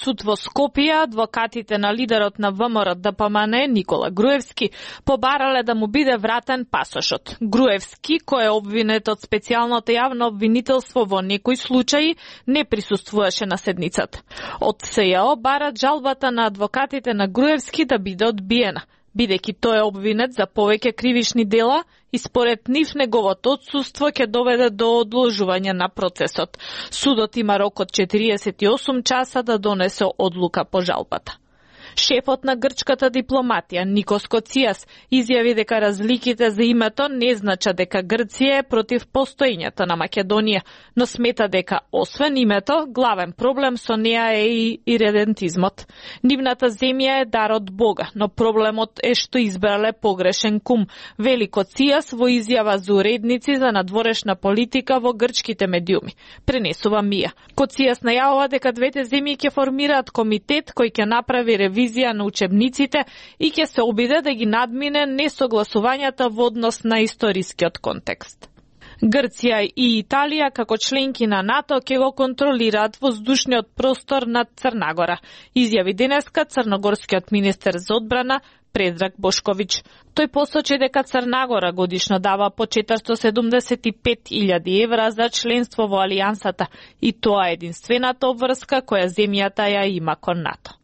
суд во Скопје, адвокатите на лидерот на ВМРО ДПМН Никола Груевски побарале да му биде вратен пасошот. Груевски, кој е обвинет од специјалното јавно обвинителство во некои случаи, не присуствуваше на седницата. Од СЈО барат жалбата на адвокатите на Груевски да биде одбиена, бидејќи тој е обвинет за повеќе кривишни дела и според нив неговото отсуство ќе доведе до одложување на процесот. Судот има рок од 48 часа да донесе одлука по жалбата. Шефот на грчката дипломатија Никос Коцијас изјави дека разликите за името не значат дека Грција е против постоењето на Македонија, но смета дека освен името, главен проблем со неа е и иредентизмот. Нивната земја е дар од Бога, но проблемот е што избрале погрешен кум, вели Коцијас во изјава за уредници за надворешна политика во грчките медиуми. Пренесува Мија. Коцијас најавува дека двете земји ќе формираат комитет кој ќе направи ревизија на учебниците и ќе се обиде да ги надмине несогласувањата во однос на историскиот контекст. Грција и Италија како членки на НАТО ќе го контролираат воздушниот простор над Црнагора, изјави денеска црногорскиот министер за одбрана Предраг Бошковиќ. Тој посочи дека Црнагора годишно дава по 475.000 евра за членство во Алијансата и тоа е единствената обврска која земјата ја има кон НАТО.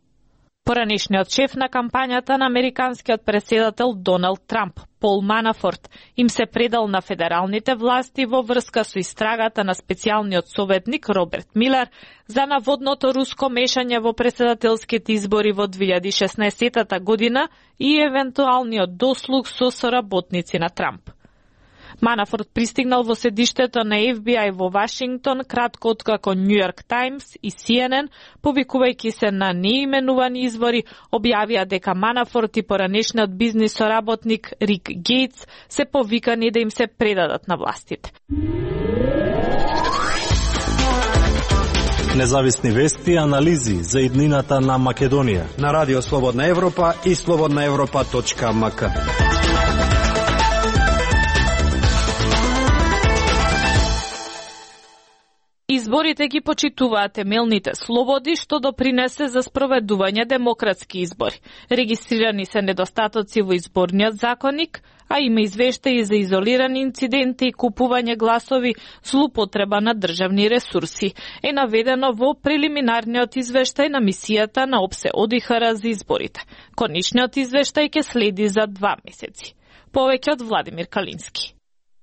Поранешниот шеф на кампањата на американскиот претседател Доналд Трамп, Пол Манафорт, им се предал на федералните власти во врска со истрагата на специјалниот советник Роберт Милер за наводното руско мешање во претседателските избори во 2016 година и евентуалниот дослуг со соработници на Трамп. Манафорт пристигнал во седиштето на FBI во Вашингтон кратко откако Нью Йорк Таймс и CNN, повикувајќи се на неименувани извори, објавија дека Манафорт и поранешниот бизнис соработник Рик Гейтс се повикани да им се предадат на властите. Независни вести и анализи за иднината на Македонија на Радио Слободна Европа и slobodnaevropa.mk. Изборите ги почитуваат темелните слободи, што допринесе за спроведување демократски избори. Регистрирани се недостатоци во изборниот законник, а има извештаи за изолирани инциденти и купување гласови, злоупотреба на државни ресурси. Е наведено во прелиминарниот извештај на мисијата на ОПСЕ ОДИХР за изборите. Конечниот извештај ќе следи за 2 месеци. Повеќе од Владимир Калински.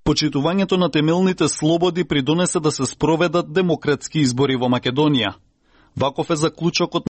Почитувањето на темелните слободи придонесе да се спроведат демократски избори во Македонија. Ваков е заклучокот